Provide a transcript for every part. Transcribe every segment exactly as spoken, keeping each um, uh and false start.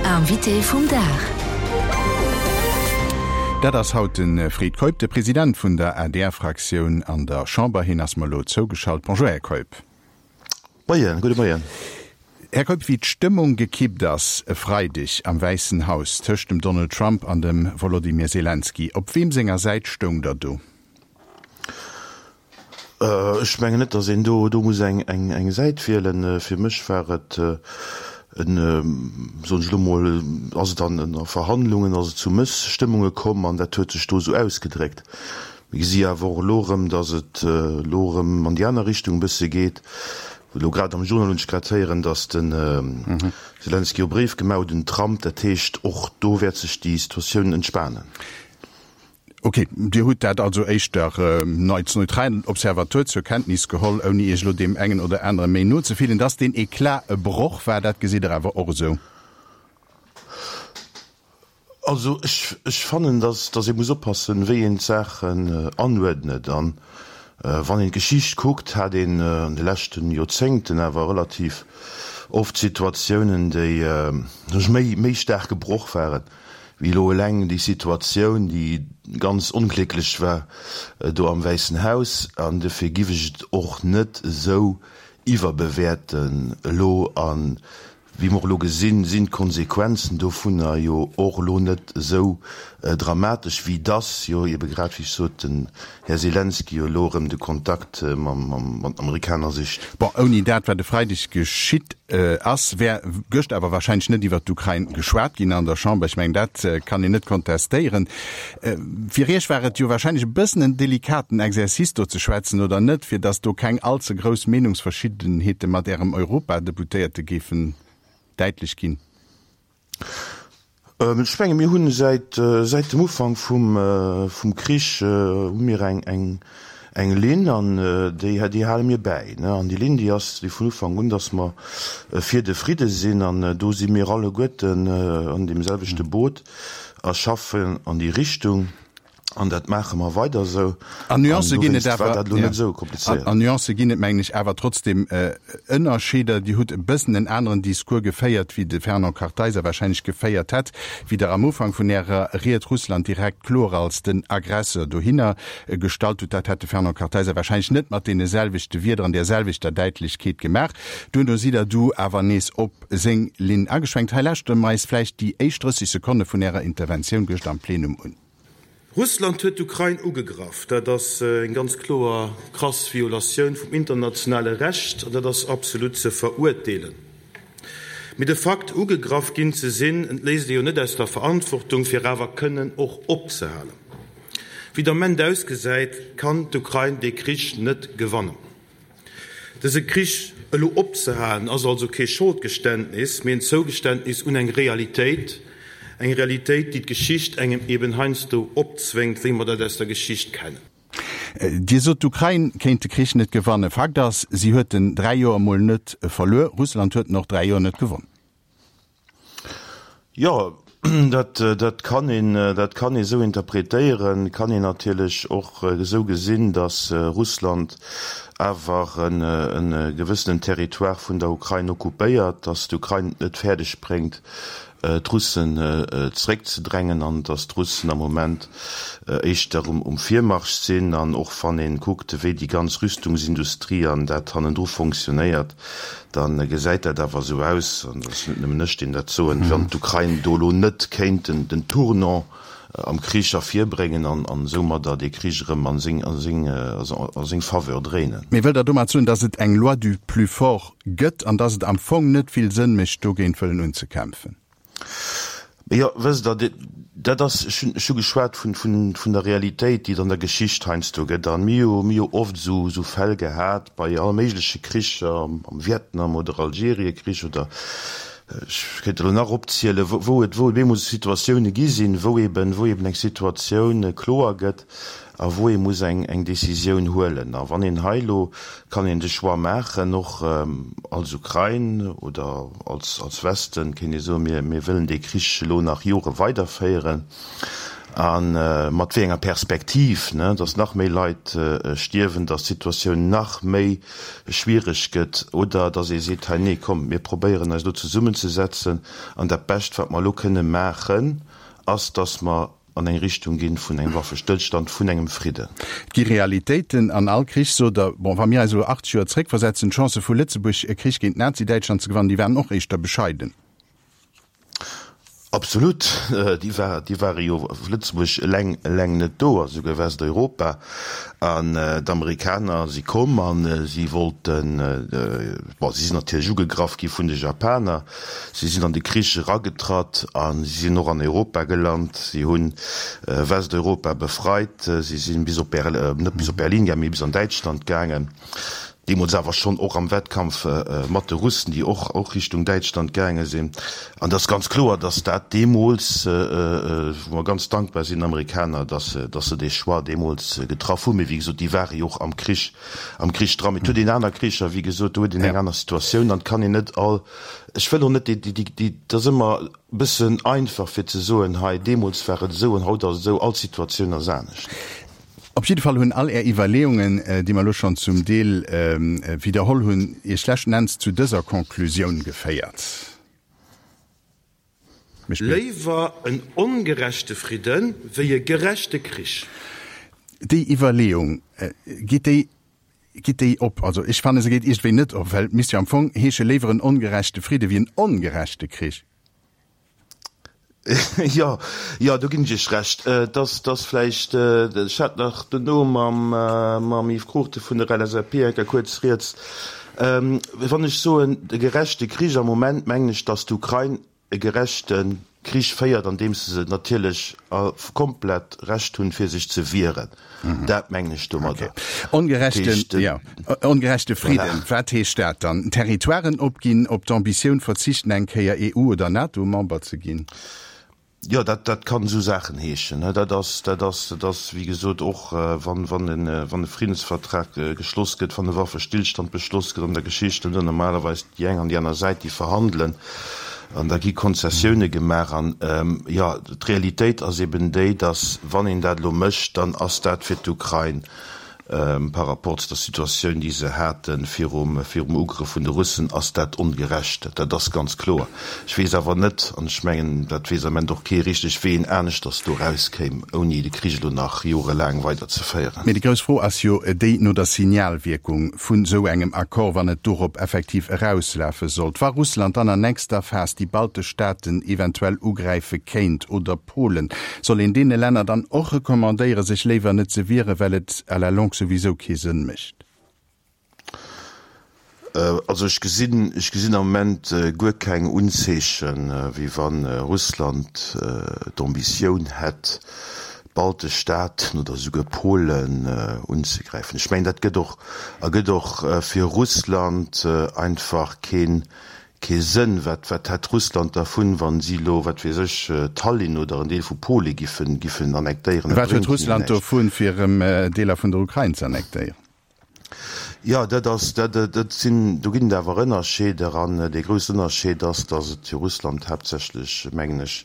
Invité vum Dag. Dat ass haut de Fred Keup, de President vun der A D R-Fraktioun an der Chamber. Hien ass mer elo zougeschalt. Bonjour, Här Keup. Moien, gudde Moien. Här Keup, wéi d'Stëmmung gekippt ass e Freideg am Wäissen Haus tëscht dem Donald Trump an dem Volodymyr Zelensky, op weem senger Säit stoungt Der do? Ech mengen net, datt een do do muss eng eng eng Säit wielen. Fir mech war et en, soen ech elo mol, ass et an a Verhandlungen ass et zu Mësstëmmunge komm an dat huet sech do esou ausgedréckt. Mir gesi awer och elo erëm, datt et elo erëm an déi aner Richtung e bësse geet. Elo grad am Journal hunn ech grad héieren, datt de Selenskyj e Bréif gemaach huet un den Trump. Dat heescht, och do wäert sech déi Situatioun entspanen. Ok, Dir hutt dat also éischter als neutralen Observateur zur Kenntnis geholl, ouni Iech elo deem engen oder anere méi no ze fillen. Datt deen Eclat e Broch war, dat gesitt Der awer och esou? Also ech, ech fannen, datt, datt ee muss oppassen, wéi een d'Saachen anuerdnet. An wann een d'Geschicht kuckt, hat een an de leschten Joerzéngten awer relativ oft Situatiounen, déi méi, méi staark gebroch waren, wéi elo eleng déi Situatioun, déi ganz onglécklech war do am Wäissen Haus. An dofir giff ech et och net esou iwwerbewäerten elo. A wéi mer och elo gesinn, sinn d'Konsequenzen dovunner jo och elo net esou dramatesch, wéi dass jo ebe grad, wéi ech sot, den Här Selenskyj jo elo erëm de Kontakt mam, mat den Amerikaner sicht. Bon, ouni dat, wat e Freideg geschitt ass, wär gëscht awer wahrscheinlech net iwwert d'Ukrain geschwat ginn an der Chamber. Ech mengen, dat kann een net kontestéieren. Fir Iech war et jo wahrscheinlech e bëssen en delikaten Exercice, do ze schwätzen, oder net, fir datt do keng allze grouss Meenungsverschiddenheete mat Ärem Europadeputéierte géifen däitlech ginn? Ech menge mir hunn säit säit dem Ufank vum vum Krich hu mir eng eng eng Linn an déi déi hale mir bäi. An déi Linn déi ass déi vun Ufank un, datt mer fir de Fridde sinn an do si mir alleguerten an deem selwechte Boot a schaffen an déi Richtung. An dat maache mer weider esou. An Nuancë ginn et awer, an Nuancë ginn et, mengen ech, awer trotzdem Ënnerscheeder. Dir hutt e bëssen en aneren Discours geféiert, wéi de Fernand Kartheiser wahrscheinlech geféiert hätt, wéi Der am Ufank vun Ärer Ried Russland direkt kloer als den Aggresseur dohinner gestallt hutt. Dat hätt de Fernand Kartheiser wahrscheinlech net mat deene selwechte Wierder an där selwechter Däitlechkeet gemaach. Duerno sidd Der du awer nees op seng Linn ageschwenkt. Hei lauschtere mer eis vläicht déi éischt drësseg Sekonne vun Ärer Interventioun gëscht am Plenum un. Russland huet d'Ukrain ugegraff. Dat ass eng ganz kloer krass Violatioun vum internationale Recht an dat ass absolut ze verurteelen. Mee de Fakt, ugegraff ginn ze sinn, entléisst ee jo net aus der Verantwortung, fir awer kënnen och opzehalen. Wéi et am Ament ausgesäit, kann d'Ukrain dee Krich net gewannen. Dëse Krich elo opzehalen, ass also kee Scholdgeständnis, mee en Zougeständnis un eng Realitéit, eng Realitéit, déi d'Geschicht engem eben heiansdo opzwéngt, wéi mer dat aus der Geschicht kennen. Dir sot, d'Ukrain kéint de Krich net gewannen. Fakt ass, si huet en dräi Joer emol net verluer. Russland huet en och dräi Joer net gewonn. Jo, dat, dat kann een, dat kann ee esou interpretéieren. Kann een natierlech och esou gesinn, datt Russland awer e gewëssenen Territoire vun der Ukrain occupéiert, datt d'Ukrain et net fäerdeg bréngt, d'Russen zeréckzedrängen an datt d'Russen am Moment éischter um Virmarsch sinn. An och wann ee kuckt, wéi déi ganz Rüstungsindustrie an dat hannendru fonctionnéiert, da gesäit dat awer esou aus, an dat ass net nëmmen ech, deen dat soen, wéi wann d'Ukrain do elo net kéint den Tournant am Krich ervirbréngen an soumadder dee Krich erëm a seng Faveur dréinen. Mee wëllt Der domat soen, datt et eng Loi du plus fort gëtt an datt et am Fong net vill Sënn mécht, dogéint wëllen unzekämpfen? Jo, wësst Der, dat ass, ech hunn, ech hu geschwat vun, vun, vun der Realitéit, déi et an der Geschicht heiansdo gëtt. A mir hu, mir hu oft esou, esou Fäll gehat bei alle méigleche Kricher, am Vietnam oder Algeriekrich oder ech kéint elo nach opzielen, wou, wou et, wou et bemol esou Situatioune gi sinn, wou eben, wou eben eng Situatioun kloer gëtt a wou ee muss eng, eng Décisioun huelen. A wann een hei elo, kann een de Choix maachen, och als Ukrain oder als, als Westen, kéint ee soen, mir, mir wëllen dee Krich elo nach Jore weiderféieren. A mat wéi enger Perspektiv, ne, dass nach méi Leit stierwen, dass d'Situatioun nach méi schwiereg gëtt, oder dass ee seet, hei nee, komm, mir probéieren eis elo zesummenzesetzen an dat Bescht, wat mer elo kënne maachen, ass, dass mer an eng Richtung ginn vun engem Waffestëllstand, vun engem Fridden. Et gi Realitéiten an all Krich, sot Der. Bon, wa mir eis elo achtzeg Joer zréckversetzen, d'Chancë vu Lëtzebuerg, e Krich géint Nazi-Däitschland ze gewannen, déi waren och éischter bescheiden. Absolut, déi war, déi ware jo Lëtzebuerg eleng, eleng net do, a souguer Westeuropa. An d'Amerikaner si komm a si wollten, bon, si sinn natierlech ugegraff gi vun de Japaner, si sinn an de Krich eragetratt a si sinn och an Europa gelant. Si hu Westeuropa befreit, si si bis op, net bis op Berlin gaangen, mee bis an Däitschland gaangen. Deemools awer schonn och am Wettkampf mat de Russen, déi och och Richtung Däitschland gaange sinn. An et ass ganz kloer, datt dat deemools, wou mer ganz dankbar sinn den Amerikaner, datt se, datt se dee Choix deemools getraff hunn. Mee wéi gesot, déi ware jo och am Krich, am Krich dran. Mee et huet een aner Kricher, wéi gesot, do huet een eng aner Situatioun an et kann een net all, ech wëll och net déi, déi, déi, et ass ëmmer e bëssen einfach fir ze soen, hei deemools war et esou an haut ass et esou, all Situatioun ass anescht. Op jidde Fall hunn all Är Iwwerleeungen, déi mer elo schonn zum Deel widderholl hunn, Iech leschten Enns zu dëser Conclusioun geféiert. Léiwer en ongerechte Fridde wéi e gerechte Krich. Déi Iwwerleeung, geet déi, geet déi op? Also ech fanne se geet iergendwéi net op, well et misst jo am Fong heesche léiwer en ongerechte Fridde wéi en ongerechte Krich. Jo, jo, do ginn ech Iech Recht. Et ass, et ass vläicht, ech hat nach dono mam, mam Yves Cruchten vun der L S A P eng Kéier kuerz rieds. Wann ech soen, de gerechte Krich, am Moment mengen ech, datt d'Ukrain e gerechte Krich féiert, andeems se natierlech komplett Recht hunn, fir sech ze wieren. Dat mengen ech domadder. Ongerechten, jo, ongerechte Fridden, wat heescht dat dann? Territoiren opginn, op d'Ambitioun verzichten, eng Kéier E U oder NATO-Member ze ginn? Jo, dat, dat kann esou Saachen heeschen. Dat ass, dat ass, dat ass, wéi gesot, och wann, wann e, wann e Friddensvertrag geschloss gëtt, wann e Waffestillstand beschloss gëtt an der Geschicht, dann hunn normalerweis déi eng an déi aner Säit, déi verhandelen. An da gi Konzessioune gemaach. An, jo, d'Realitéit ass eben déi, datt, wann een dat elo mécht, dann ass dat fir d'Ukrain par rapport zu der Situatioun, déi se hate virum virum Ugrëff vun de Russen, ass dat ongerecht. Dat ass ganz kloer. Ech weess awer net, an ech mengen, dat weess am Ament och kee richteg, wéi een aneschters do erauskéim, ouni de Krich elo nach jorelaang weiderzeféieren. Mee déi grouss Fro ass jo déi no der Signalwierkung vun esou engem Accord, wann et dorop effektiv erauslafe sollt, wa Russland dann an nächster Phas déi baltesch Staaten eventuell ugräife kéint oder Polen, soll een deene Länner dann och recommandéiere sech léiwer net ze wieren, well et à la longue souwisou kee Sënn mécht? Also ech gesinn, ech gesinn am Moment guer keng Unzeechen, wéi wa Russland d'Ambitioun hätt, d'baltesch Staaten oder esouguer Polen unzegräifen. Ech mengen, dat gëtt och, ergëtt och fir Russland einfach kee kee Sënn. Wat wat hätt Russland dervun, wa si elo, wat weess ech, Tallinn oder en Deel vu Pole giffen giffen annektéieren? Et Wat huet bréngt hinnen Russland näischt. dovun, fir erëm Deeler vun der Ukrain ze annektéieren? Jo, dat ass, dat, dat sinn, do ginn et awer Ënnerscheeder. An dee groussen Ënnerscheed ass, datt et fir Russland haaptsächlech, mengen ech,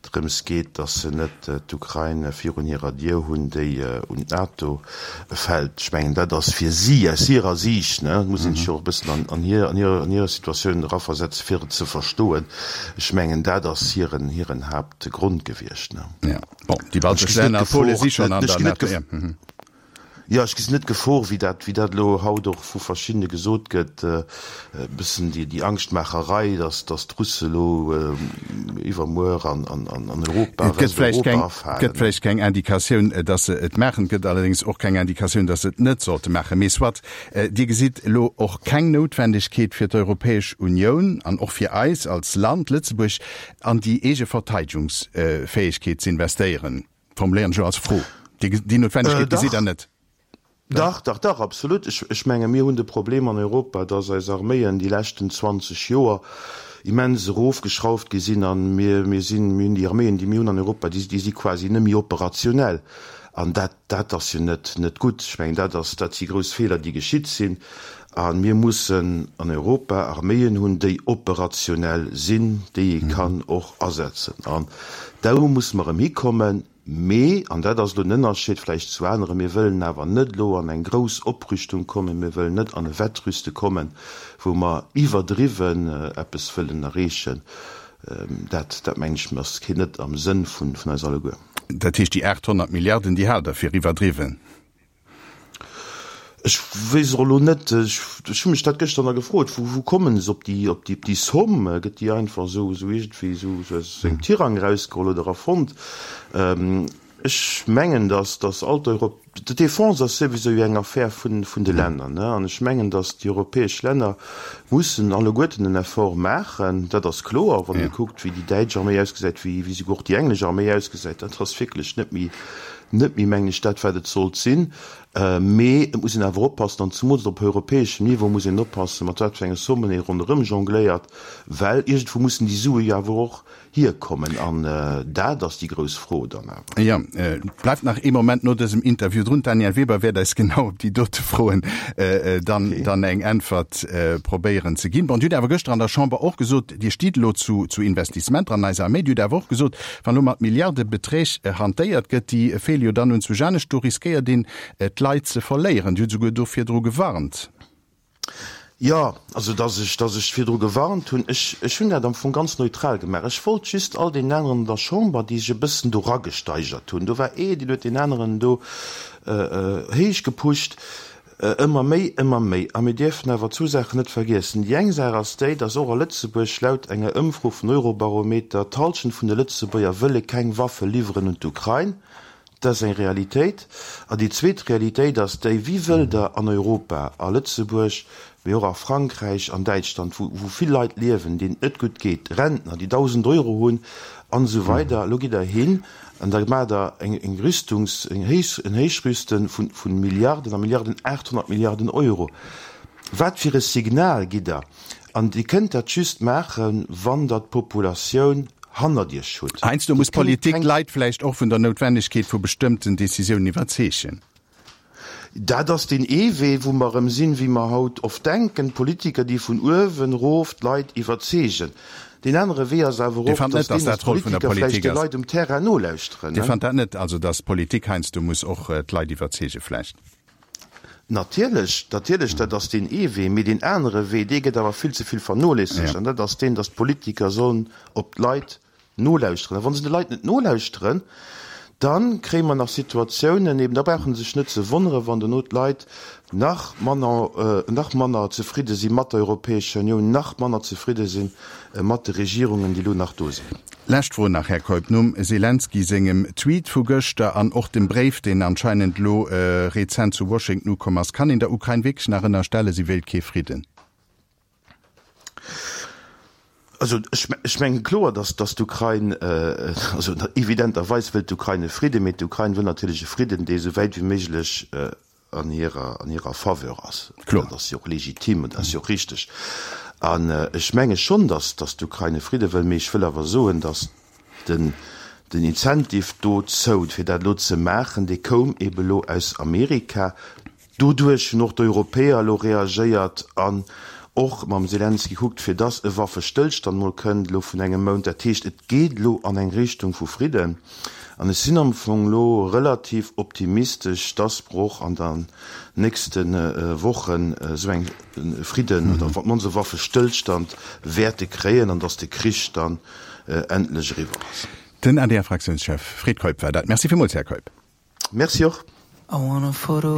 drëms geet, datt se net d'Ukrain virun hirer Dier hunn, déi un d'NATO fält. Ech mengen, dat ass fir si, aus hirer Siicht, ne, et muss een sech jo och e bëssen an, an hir, an hir, an hir Situatioun eraversetzen, fir et ze verstoen. Ech mengen, dat ass hiren, hiren Haaptgrond gewiescht, ne. Jo, bon, déi baltesch Länner, Pole si schonn an der NATO, jo. Jo, ech gesinn net d'Gefor, wéi dat, wéi dat elo haut och vu verschiddene gesot gëtt, e bëssen déi, déi Angschtmaacherei, datt, datt d'Russe elo iwwermuer an, an, an Europa, Et gëtt vläicht Westeuropa keng, et afalen. gëtt vläicht keng Indikatioun, datt se et maachen. Et gëtt allerdéngs och keng Indikatioun, datt se et net sollte maachen. Mee soit, Dir gesitt elo och keng Noutwendegkeet fir d'Europäesch Unioun an och fir eis als Land Lëtzebuerg, an déi eege Verteidegungsfäegkeet z'investéieren? Formuléieren ech elo als Fro. Déi Noutwendegkeet gesitt Der Dach, net? dach, dach, dach, absolut. Ech, ech menge mir hunn de Problem an Europa, dass eis Arméien déi leschten zwanzeg Joer immens erofgeschrauft gi sinn an mir, mir sinn, mir hunn déi Arméien, déi mir hunn an Europa, déi, déi si quasi net méi operationell. An dat, dat ass jo net, net gutt. Ech mengen, dat ass, dat si grouss Feeler, déi geschitt sinn. A mir mussen an Europa Arméien hunn, déi operationell sinn, déi ee kann och asetzen. An do musse mer erëm hikommen. Mee, an dat ass elo den Ënnerscheed vläicht zu aneren, mir wëllen awer net elo an eng grouss Oprüstung kommen, mir wëllen net an e Wettrüste kommen, wou mer iwwerdriwwen eppes wëllen erreechen. Dat, dat mengen ech, ass keen net am Sënn vun eis alleguer. Dat heescht, déi aacht honnert Milliarden, déi haalt Der fir iwwerdriwwen? Ech weess och elo net, ech hu mech dat gëschter nach gefrot, wou wou kommen se op déi op déi op déi Somme? Gëtt déi einfach esou esou iergendwéi esou esou aus engem Tirang erausgeholl oder erfonnt? Ech mengen, datt datt all d'Europ d'Defense ass souwisou jo eng Affär vun vun de Länner, ne? An ech mengen, datt déi europäesch Länner mussen alleguerten en Effort maachen, dat ass kloer, wann ee kuckt, wéi déi däitsch Arméi ausgesäit, wéi wéi souguer och déi englesch Arméi ausgesäit, dat ass wierklech net méi net méi, mengen ech, dat wat et sollt sinn. Mee et muss een awer oppassen, an zemools op europäeschem Niveau muss een oppassen, mat wat fir enge Sommen ee ronderëm jongléiert, well iergendwou mussen déi Sue jo awer och hierkommen. An dat ass déi grouss Fro dann awer. Jo, bleift nach ee Moment no dësem Interview drun. D'Danièle Weber wäert eis genau op déi dote Froen dann dann eng Äntwert probéieren ze ginn. Bon, Dir hutt awer gëschter an der Chamber och gesot, Dir stitt elo zu zu Investissementer an eiser Arméi. Dir hutt awer och gesot, wann elo mat Milliardebeträg hantéiert gëtt, déi feele jo dann un zu Janesch, do riskéiert een d'Leit ze verléieren. Dir hutt souguer do virdru gewarnt. Jo, also datt ech, datt ech virdru gewarnt hunn, ech, ech hunn dat am Fong ganz neutral gemaach. Ech wollt just all deenen aneren an der Chamber, déi sech e bëssen do eragesteigert hunn, do war ee, deen huet deen aneren do héich gepusht, ëmmer méi, ëmmer méi. A mir dierfen awer zwou Saachen net vergiessen. Déi eng Saach ass déi, datt och a Lëtzebuerg laut enger Ëmfro vun Eurobarometer d'Hallschent vun de Lëtzebuerger wëlle keng Waffe liwweren un d'Ukrain. Dat ass eng Realitéit. An déi zweet Realitéit ass déi, Wie wëll Der an Europa, a Lëtzebuerg, mee och a Frankräich, an Däitschland, wou wou vill Leit liewen, deenen et net gutt geet, Rentner, déi dausend Euro hunn, an esou weider, elo gitt Der hin an da maacht Der eng eng Rüstungs-, eng Héich, en Héichrüste vu vu Milliarden a Milliarden, aacht honnert Milliarden Euro. Wat fir e Signal gitt Der? An Dir kënnt dat just maachen, wann Der d'Populatioun hannert Iech hutt. Heiansdo Dir muss kënnt d'Politik keng. d'Leit vläicht och vun der Noutwennegkeet vu bestëmmten Decisiounen iwwerzeegen. Dat ass deen ee Wee, wou mer erëm sinn, wéi mer haut oft denken, d'Politiker, déi vun uewen erof d'Leit iwwerzeegen. Deen anere Wee ass awer Dir och, fannt net, dass dass deen, dat dass d'Roll vun der d'Politiker vläicht Politik de ass? Leit um Terrain nolauschteren, Dir ne? fannt dat net, also dass d'Politik heiansdo muss och d'Leit iwwerzeege vläicht? Natierlech, natierlech, dat ass deen ee Wee. Mee deen anere Wee, dee gëtt awer vill ze vill vernoléissegt, Ja. an dat ass deen, dass d'Politiker sollen op d'Leit nolauschteren. A wa se de Leit net nolauschteren, da kréie mer nach Situatiounen, eben da brauche se sech net ze wonneren, wann dono d'Leit nach manner, nach manner zefridde si mat der Europäescher Unioun, nach manner zefridde si mat de Regierungen, déi elo nach do sinn. Lescht Fro nach, Här Keup, Nom Selenskyj sengem Tweet vu gëschter an och dem Bréif, deen anscheinend elo rezent zu Washington ukomm ass, kann een der Ukrain wierklech nach ënnerstellen, si wéilt kee Fridden? Also ech mengen kloer, datt datt d'Ukrain, also evidenterweis wëllt d'Ukrain e Fridden, mee d'Ukrain wëll natierlech e Fridden, dee esou wäit wéi méiglech an hirer an hirer Faveur ass. Kloer. Dat ass jo och legitim an dat ass jo och richteg. An ech menge schonn, datt datt d'Ukrain e Fridde wëll, mee ech wëll awer soen, datt den den Incentive dozou, fir dat elo ze maachen, dee koum eebe elo aus Amerika. Doduerch hunn och d'Europäer elo reagéiert an och mam Selenskyj kuckt, fir dass e Waffestëllstand mol kënnt elo vun engem Mount. Dat heescht, et geet elo an eng Richtung vu Fridden. An ech sinn am Fong elo relativ optimistesch, dass mer och an der nächste Wochen esou eng Fridden oder op d'mannst e Waffestëllstand wäerte kréien an dass de Krich dann endlech eriwwer ass. Den A D R-Fraktiounschef Fred Keup war dat. Merci villmools, Här Keup. Merci och. I want a photo.